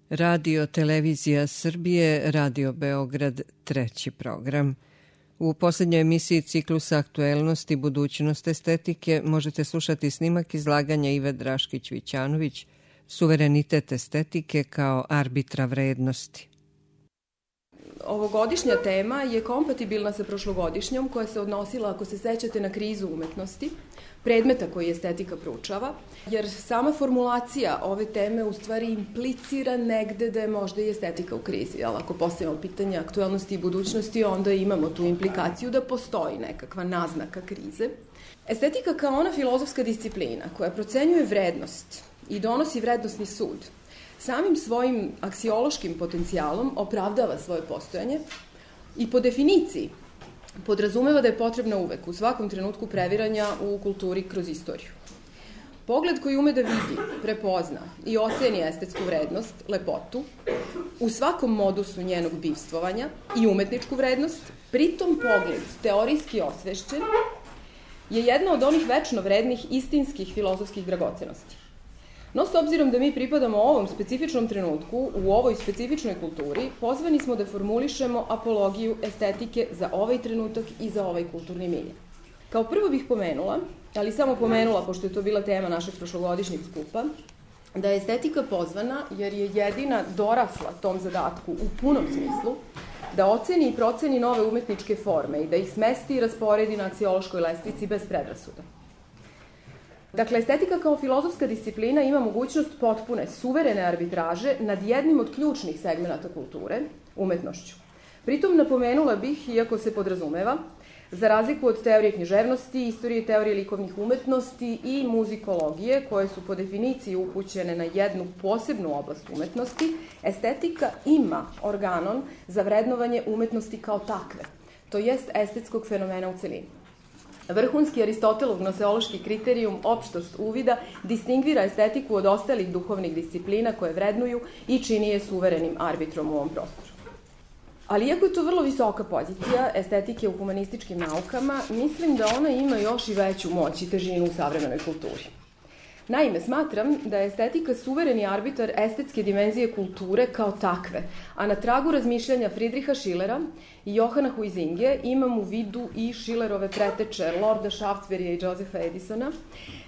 Radio Televizija Srbije, Radio Beograd, treći program. U posljednjoj emisiji ciklusa Aktuelnosti budućnost estetike možete slušati snimak izlaganja Ive Draškić-Vićanović Suverenitet estetike kao arbitra vrednosti. Ovogodišnja tema je kompatibilna sa prošlogodišnjom koja se odnosila, ako se sećate, na krizu umetnosti, predmeta koji estetika proučava, jer sama formulacija ove teme u stvari implicira negde da je možda i estetika u krizi. Ali ako postavimo pitanje aktuelnosti i budućnosti, onda imamo tu implikaciju da postoji nekakva naznaka krize. Estetika kao ona filozofska disciplina koja procenjuje vrednost i donosi vrednostni sud, samim svojim aksiološkim potencijalom opravdava svoje postojanje i po definiciji podrazumeva da je potrebna uvek u svakom trenutku previranja u kulturi kroz istoriju. Pogled koji ume da vidi, prepozna i oceni estetsku vrednost, lepotu, u svakom modusu njenog bivstvovanja i umetničku vrednost, pritom pogled teorijski osvešćen, je jedna od onih večno vrednih istinskih filozofskih dragocenosti. No, s obzirom da mi pripadamo ovom specifičnom trenutku, u ovoj specifičnoj kulturi, pozvani smo da formulišemo apologiju estetike za ovaj trenutak i za ovaj kulturni milje. Kao prvo bih pomenula, ali samo pomenula, pošto je to bila tema našeg prošlogodišnjeg skupa, da je estetika pozvana jer je jedina dorasla tom zadatku u punom smislu, da oceni i proceni nove umetničke forme i da ih smesti i rasporedi na aksiološkoj lestvici bez predrasuda. Dakle, estetika kao filozofska disciplina ima mogućnost potpune, suverene arbitraže nad jednim od ključnih segmenata kulture, umetnošću. Pritom napomenula bih, iako se podrazumeva, za razliku od teorije književnosti, istorije teorije likovnih umetnosti i muzikologije, koje su po definiciji upućene na jednu posebnu oblast umetnosti, estetika ima organon za vrednovanje umetnosti kao takve, to jest estetskog fenomena u celini. Vrhunski Aristotelov gnoseološki kriterijum, opštost uvida, distingvira estetiku od ostalih duhovnih disciplina koje vrednuju i čini je suverenim arbitrom u ovom prostoru. Ali iako je to vrlo visoka pozicija estetike u humanističkim naukama, mislim da ona ima još i veću moć i težinu u savremenoj kulturi. Naime, smatram da je estetika suvereni arbitar estetske dimenzije kulture kao takve, a na tragu razmišljanja Friedricha Schillera i Johana Huizinge imam u vidu i Schillerove preteče Lorda Shaftesburyja i Josepha Edisona.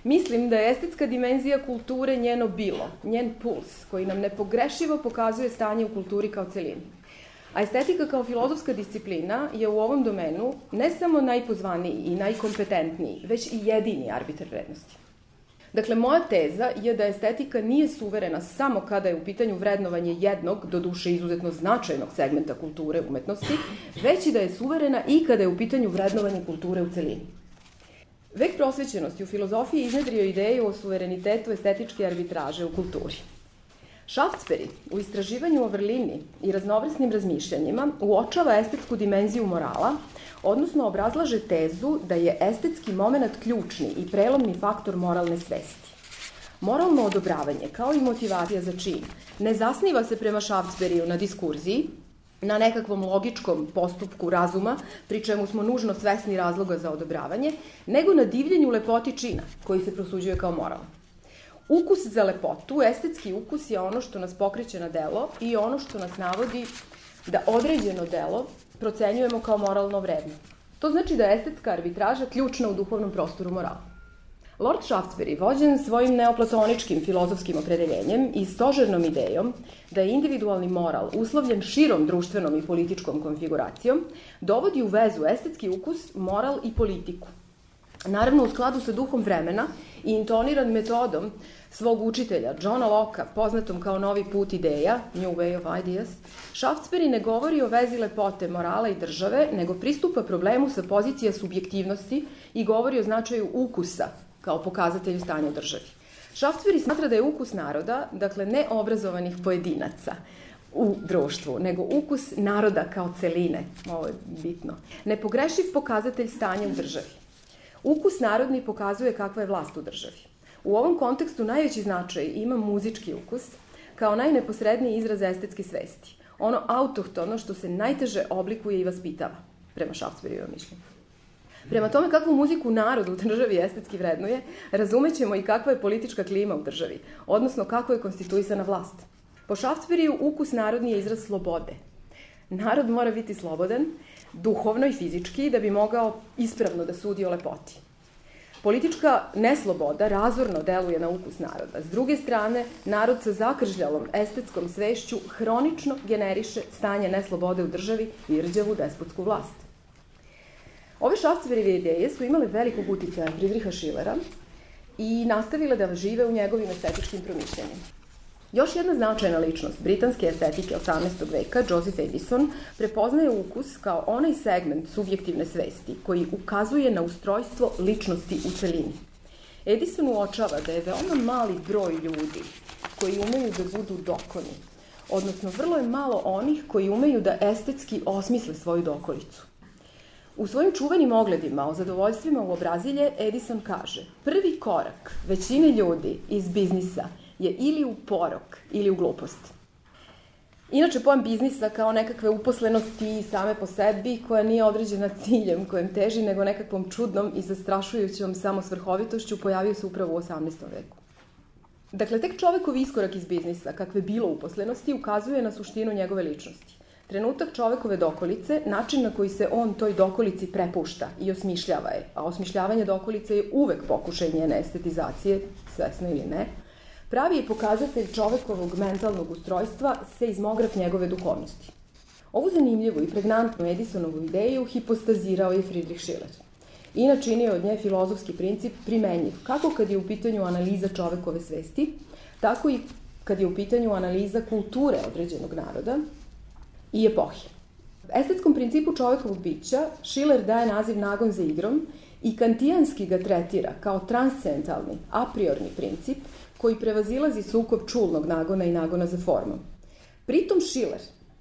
Mislim da je estetska dimenzija kulture njeno bilo, njen puls, koji nam nepogrešivo pokazuje stanje u kulturi kao celini. A estetika kao filozofska disciplina je u ovom domenu ne samo najpozvaniji i najkompetentniji, već i jedini arbitar vrednosti. Dakle, moja teza je da estetika nije suverena samo kada je u pitanju vrednovanje jednog, doduše izuzetno značajnog segmenta kulture umetnosti, već i da je suverena i kada je u pitanju vrednovanje kulture u celini. Vek prosvećenosti u filozofiji iznedrio ideju o suverenitetu estetičke arbitraže u kulturi. Shaftesbury u istraživanju o vrlini i raznovrsnim razmišljanjima uočava estetsku dimenziju morala, odnosno obrazlaže tezu da je estetski moment ključni i prelomni faktor moralne svesti. Moralno odobravanje, kao i motivacija za čin, ne zasniva se prema Shaftesburyu na diskurziji, na nekakvom logičkom postupku razuma, pri čemu smo nužno svesni razloga za odobravanje, nego na divljenju lepoti čina, koji se prosuđuje kao moralan. Ukus za lepotu, estetski ukus je ono što nas pokreće na delo i ono što nas navodi da određeno delo procenjujemo kao moralno vredno. To znači da je estetska arbitraža ključna u duhovnom prostoru morala. Lord Shaftesbury, vođen svojim neoplatoničkim filozofskim opredeljenjem i stožernom idejom da je individualni moral uslovljen širom društvenom i političkom konfiguracijom, dovodi u vezu estetski ukus, moral i politiku. Naravno, u skladu sa duhom vremena i intoniran metodom svog učitelja, Johna Locke, poznatom kao novi put ideja, New Way of Ideas, Shaftesbury ne govori o vezi lepote, morala i države, nego pristupa problemu sa pozicija subjektivnosti i govori o značaju ukusa kao pokazatelju stanja u državi. Shaftesbury smatra da je ukus naroda, dakle neobrazovanih pojedinaca u društvu, nego ukus naroda kao celine, ovo je bitno, nepogrešiv pokazatelj stanja u državi. Ukus narodni pokazuje kakva je vlast u državi. U ovom kontekstu najveći značaj ima muzički ukus kao najneposredniji izraz estetske svesti. Ono autohtono što se najteže oblikuje i vaspitava, prema Shaftesburyjevom mišljenju. Prema tome kakvu muziku narod u državi estetski vrednuje, razumećemo i kakva je politička klima u državi, odnosno kako je konstituisana vlast. Po Šafcberiju ukus narodni je izraz slobode. Narod mora biti slobodan, duhovno i fizički, da bi mogao ispravno da sudi o lepoti. Politička nesloboda razorno deluje na ukus naroda. S druge strane, narod sa zakržljalom estetskom svešću hronično generiše stanje neslobode u državi i rđavu despotsku vlast. Ove Šafcberjeve ideje su imale velikog uticaja Friedricha Schillera i nastavile da žive u njegovim estetičkim promišljanjima. Još jedna značajna ličnost britanske estetike 18. veka, Joseph Addison, prepoznaje ukus kao onaj segment subjektivne svesti koji ukazuje na ustrojstvo ličnosti u celini. Addison uočava da je veoma mali broj ljudi koji umeju da budu dokoni, odnosno vrlo je malo onih koji umeju da estetski osmisle svoju dokolicu. U svojim čuvenim ogledima o zadovoljstvima u obrazilje Addison kaže: prvi korak većine ljudi iz biznisa je ili u porok ili u glupost. Inače, pojam biznisa kao nekakve uposlenosti same po sebi, koja nije određena ciljem kojem teži, nego nekakvom čudnom i zastrašujućom samosvrhovitošću, pojavio se upravo u 18. veku. Dakle, tek čovekovi iskorak iz biznisa, kakve bilo uposlenosti, ukazuje na suštinu njegove ličnosti. Trenutak čovekove dokolice, način na koji se on toj dokolici prepušta i osmišljava je, a osmišljavanje dokolice je uvek pokušaj njene estetizacije, svesno ili ne, pravi je pokazatelj čovekovog mentalnog ustrojstva, seizmograf njegove duhovnosti. Ovu zanimljivu i pregnantnu Edisonovu ideju hipostazirao je Friedrich Schiller i načinio od nje filozofski princip primenjiv, kako kad je u pitanju analiza čovekove svesti, tako i kad je u pitanju analiza kulture određenog naroda i epohe. Estetskom principu čovekovog bića Schiller daje naziv nagon za igrom i kantijanski ga tretira kao transcendentalni, a priorni princip koji prevazilazi sukob čulnog nagona i nagona za formom. Pritom Schiller,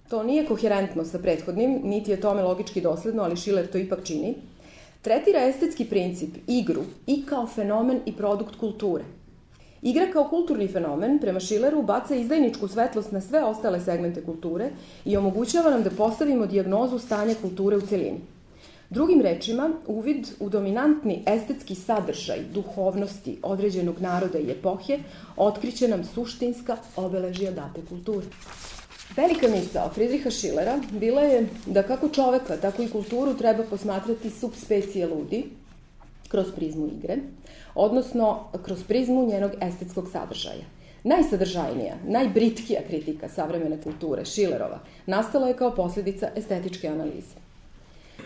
to nije koherentno sa prethodnim, niti je tome logički dosledno, ali Schiller to ipak čini, tretira estetski princip, igru, i kao fenomen i produkt kulture. Igra kao kulturni fenomen, prema Schilleru, baca izdajničku svetlost na sve ostale segmente kulture i omogućava nam da postavimo dijagnozu stanja kulture u celini. Drugim rečima, uvid u dominantni estetski sadržaj duhovnosti određenog naroda i epohe otkriće nam suštinska obeležja date kulture. Velika misao Friedricha Schillera bila je da kako čoveka, tako i kulturu treba posmatrati subspecie ludi kroz prizmu igre, odnosno kroz prizmu njenog estetskog sadržaja. Najsadržajnija, najbritkija kritika savremene kulture, Schillerova, nastala je kao posljedica estetičke analize.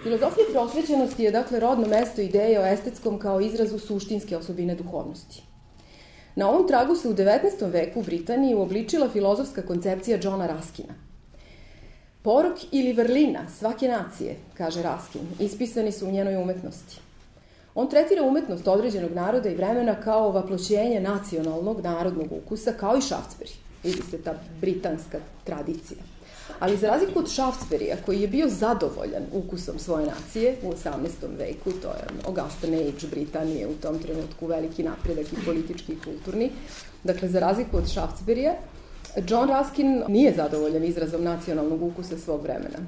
Filozofija prosvećenosti je dakle rodno mesto ideje o estetskom kao izrazu suštinske osobine duhovnosti. Na ovom tragu se u 19. veku u Britaniji uobličila filozofska koncepcija Johna Ruskina. Porok ili vrlina svake nacije, kaže Ruskin, ispisani su u njenoj umetnosti. On tretira umetnost određenog naroda i vremena kao vaploćenje nacionalnog, narodnog ukusa, kao i Šafcberij. Vidi se ta britanska tradicija. Ali za razliku od Šafcberija, koji je bio zadovoljan ukusom svoje nacije u 18. veku, to je Augustan Age Britanije, u tom trenutku veliki napredak i politički i kulturni, dakle, za razliku od Šafcberija, John Ruskin nije zadovoljan izrazom nacionalnog ukusa svog vremena.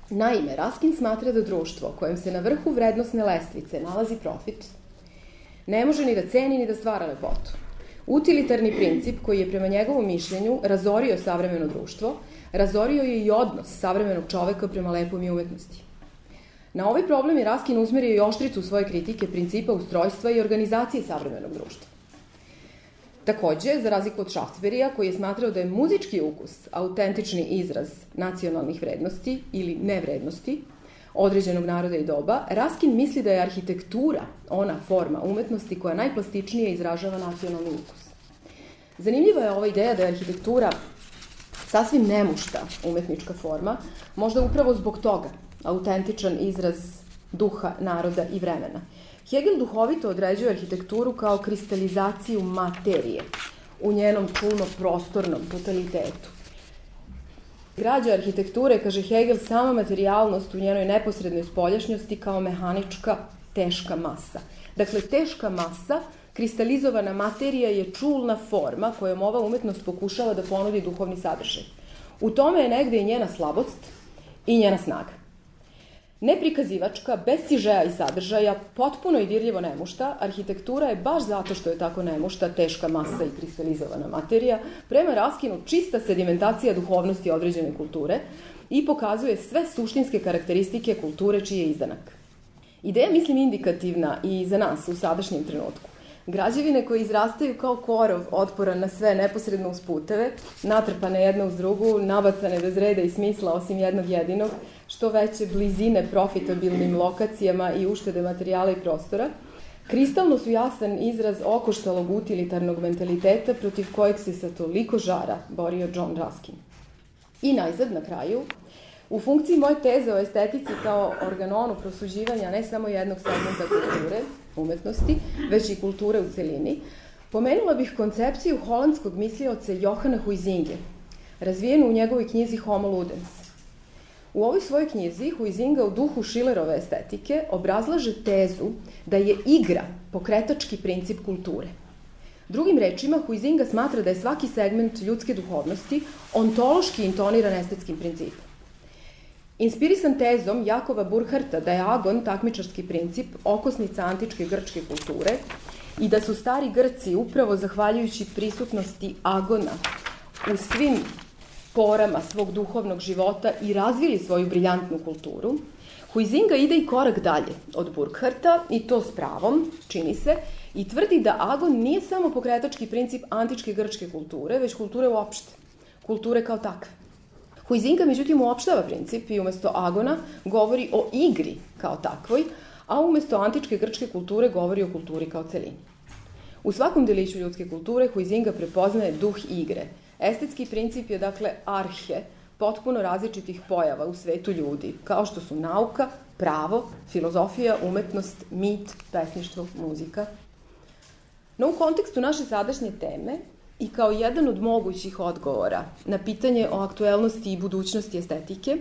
Naime, Ruskin smatra da društvo kojem se na vrhu vrednosne lestvice nalazi profit, ne može ni da ceni ni da stvara lepotu. Utilitarni princip koji je prema njegovom mišljenju razorio savremeno društvo, razorio je i odnos savremenog čoveka prema lepom i umetnosti. Na ovaj problem je Ruskin usmerio i oštricu svoje kritike principa ustrojstva i organizacije savremenog društva. Takođe, za razliku od Šafcberija, koji je smatrao da je muzički ukus autentični izraz nacionalnih vrednosti ili nevrednosti određenog naroda i doba, Ruskin misli da je arhitektura ona forma umetnosti koja najplastičnije izražava nacionalni ukus. Zanimljiva je ova ideja da je arhitektura sasvim nemušta umetnička forma, možda upravo zbog toga autentičan izraz duha, naroda i vremena. Hegel duhovito određuje arhitekturu kao kristalizaciju materije u njenom čulno-prostornom totalitetu. Građa arhitekture, kaže Hegel, sama materijalnost u njenoj neposrednoj spoljašnjosti kao mehanička, teška masa. Dakle, teška masa, kristalizovana materija je čulna forma kojom ova umetnost pokušava da ponudi duhovni sadržaj. U tome je negde i njena slabost i njena snaga. Neprikazivačka, bez sižeja i sadržaja, potpuno i dirljivo nemušta, arhitektura je baš zato što je tako nemušta, teška masa i kristalizovana materija, prema Raskinu čista sedimentacija duhovnosti određene kulture i pokazuje sve suštinske karakteristike kulture čiji je izdanak. Ideja, mislim, indikativna i za nas u sadašnjem trenutku. Građevine koje izrastaju kao korov otporan na sve neposredno uz puteve, natrpane jedna uz drugu, nabacane bez reda i smisla osim jednog jedinog, što veće blizine profitabilnim lokacijama i uštede materijala i prostora, kristalno su jasan izraz okoštalog utilitarnog mentaliteta protiv kojeg se sa toliko žara borio John Ruskin. I najzad, na kraju, u funkciji moje teze o estetici kao organonu prosuđivanja ne samo jednog segmenta kulture, umetnosti, već i kulture u celini, pomenula bih koncepciju holandskog mislioca Johana Huizinge, razvijenu u njegovoj knjizi Homo Ludens. U ovoj svojoj knjizi Huizinga u duhu Schillerove estetike obrazlaže tezu da je igra pokretački princip kulture. Drugim rečima, Huizinga smatra da je svaki segment ljudske duhovnosti ontološki intoniran estetskim principom. Inspirisan tezom Jakova Burkharta da je agon takmičarski princip, okosnica antičke grčke kulture i da su stari Grci upravo zahvaljujući prisutnosti agona u svim porama svog duhovnog života i razvili svoju briljantnu kulturu, Huizinga ide i korak dalje od Burkharta i to s pravom, čini se, i tvrdi da agon nije samo pokretački princip antičke grčke kulture, već kulture uopšte, kulture kao takve. Huizinga, međutim, uopštava princip i umesto agona govori o igri kao takvoj, a umesto antičke grčke kulture govori o kulturi kao celini. U svakom deliću ljudske kulture Huizinga prepoznaje duh igre. Estetski princip je, dakle, arhe potpuno različitih pojava u svetu ljudi, kao što su nauka, pravo, filozofija, umetnost, mit, pesništvo, muzika. No, u kontekstu naše sadašnje teme, i kao jedan od mogućih odgovora na pitanje o aktuelnosti i budućnosti estetike,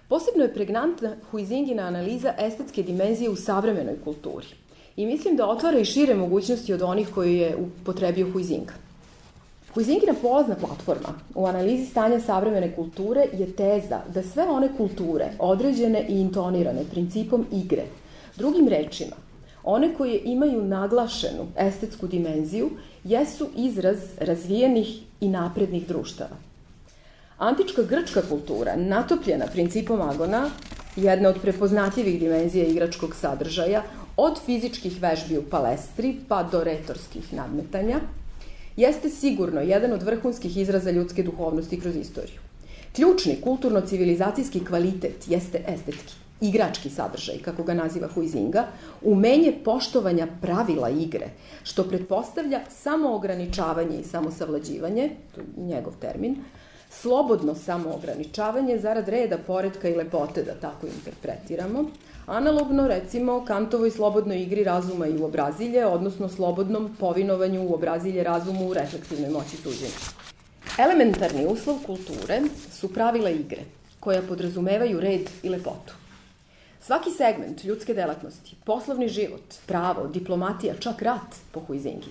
posebno je pregnantna Huizingina analiza estetske dimenzije u savremenoj kulturi. I mislim da otvara i šire mogućnosti od onih koje je upotrebio Huizinga. Huizingina polazna platforma u analizi stanja savremene kulture je teza da sve one kulture, određene i intonirane principom igre, drugim rečima, one koje imaju naglašenu estetsku dimenziju, jesu izraz razvijenih i naprednih društava. Antička grčka kultura, natopljena principom agona, jedna od prepoznatljivih dimenzija igračkog sadržaja, od fizičkih vežbi u palestri pa do retorskih nadmetanja, jeste sigurno jedan od vrhunskih izraza ljudske duhovnosti kroz istoriju. Ključni kulturno-civilizacijski kvalitet jeste estetski, igrački sadržaj, kako ga naziva Huizinga, umenje poštovanja pravila igre, što pretpostavlja samoograničavanje i samosavlađivanje, to je njegov termin, slobodno samoograničavanje zarad reda, poretka i lepote, da tako interpretiramo, analogno, recimo, Kantovoj slobodnoj igri razuma i uobrazilje, odnosno slobodnom povinovanju uobrazilje razumu u refleksivnoj moći suđenja. Elementarni uslov kulture su pravila igre, koja podrazumevaju red i lepotu. Svaki segment ljudske delatnosti, poslovni život, pravo, diplomatija, čak rat po Huizingi,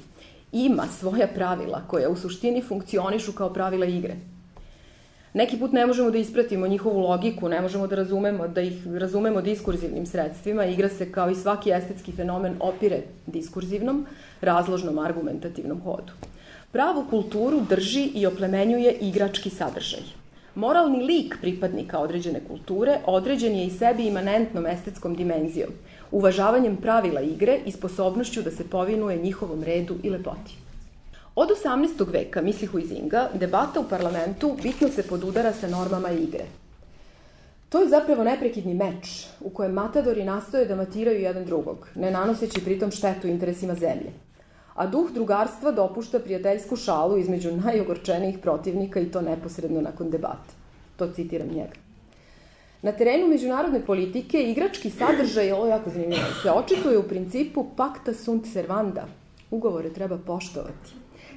ima svoja pravila koja u suštini funkcionišu kao pravila igre. Neki put ne možemo da ispratimo njihovu logiku, ne možemo da ih razumemo diskurzivnim sredstvima. Igra se kao i svaki estetski fenomen opire diskurzivnom, razložnom, argumentativnom hodu. Pravu kulturu drži i oplemenjuje igrački sadržaj. Moralni lik pripadnika određene kulture određen je i sebi imanentnom estetskom dimenzijom, uvažavanjem pravila igre i sposobnošću da se povinuje njihovom redu i lepoti. Od 18. veka, misli Huizinga, debata u parlamentu bitno se podudara sa normama igre. To je zapravo neprekidni meč u kojem matadori nastoje da matiraju jedan drugog, ne nanoseći pritom štetu interesima zemlje. A duh drugarstva dopušta prijateljsku šalu između najogorčenijih protivnika i to neposredno nakon debate. To citiram njega. Na terenu međunarodne politike igrački sadržaj, ovo je jako zanimljivo, se očituje u principu pacta sunt servanda. Ugovore treba poštovati.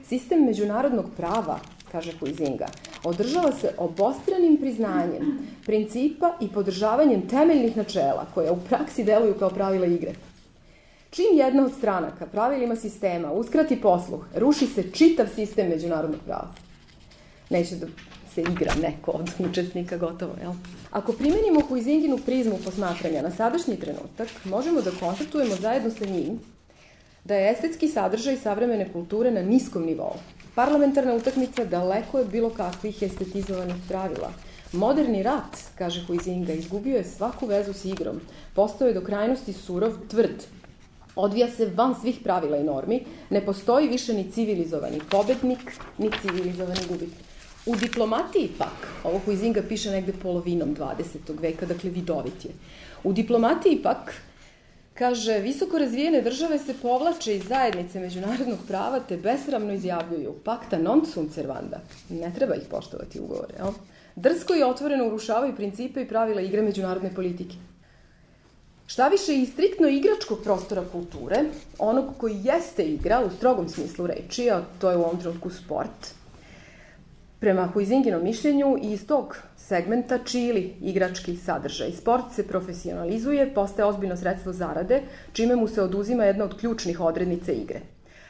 Sistem međunarodnog prava, kaže Huizinga, održava se obostranim priznanjem principa i podržavanjem temeljnih načela koja u praksi deluju kao pravila igre. Čim jedna od stranaka pravilima sistema uskrati posluh, ruši se čitav sistem međunarodnog prava. Neće da se igra neko od učesnika, gotovo, jel? Ako primenimo Huizinginu prizmu posmatranja na sadašnji trenutak, možemo da konstatujemo zajedno sa njim da je estetski sadržaj savremene kulture na niskom nivou. Parlamentarna utakmica daleko je od bilo kakvih estetizovanih pravila. Moderni rat, kaže Huizinga, izgubio je svaku vezu s igrom, postao je do krajnosti surov, tvrd. Odvija se van svih pravila i normi, ne postoji više ni civilizovani pobednik, ni civilizovani gubitnik. U diplomatiji pak, ovo Huizinga piše negde polovinom 20. veka, dakle vidovit je. U diplomatiji pak, kaže, visoko razvijene države se povlače iz zajednice međunarodnog prava te besramno izjavljuju pacta non sunt servanda. Ne treba ih poštovati ugovore, jel? Drsko i otvoreno urušavaju principe i pravila igre međunarodne politike. Šta više, i striktno igračkog prostora kulture, onog koji jeste igra u strogom smislu reči, a to je u ovom trenutku sport, prema Huizinginom mišljenju i iz tog segmenta čili igrački sadržaj. Sport se profesionalizuje, postaje ozbiljno sredstvo zarade, čime mu se oduzima jedna od ključnih odrednica igre.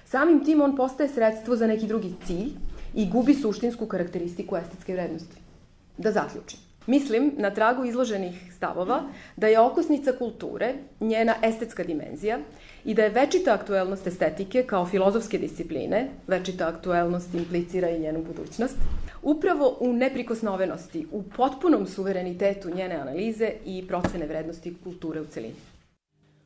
Samim tim on postaje sredstvo za neki drugi cilj i gubi suštinsku karakteristiku estetske vrednosti. Da zaključim. Mislim, na tragu izloženih stavova, da je okosnica kulture njena estetska dimenzija i da je večita aktuelnost estetike kao filozofske discipline, večita aktuelnost implicira i njenu budućnost, upravo u neprikosnovenosti, u potpunom suverenitetu njene analize i procene vrednosti kulture u celini.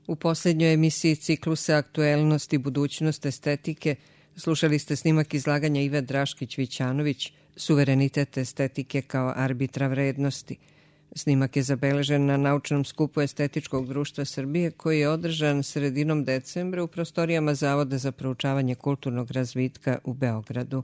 U poslednjoj emisiji ciklusa Aktuelnost i budućnost estetike slušali ste snimak izlaganja Ive Draškić-Vićanović Suverenitet estetike kao arbitra vrednosti. Snimak je zabeležen na naučnom skupu Estetičkog društva Srbije koji je održan sredinom decembra u prostorijama Zavoda za proučavanje kulturnog razvitka u Beogradu.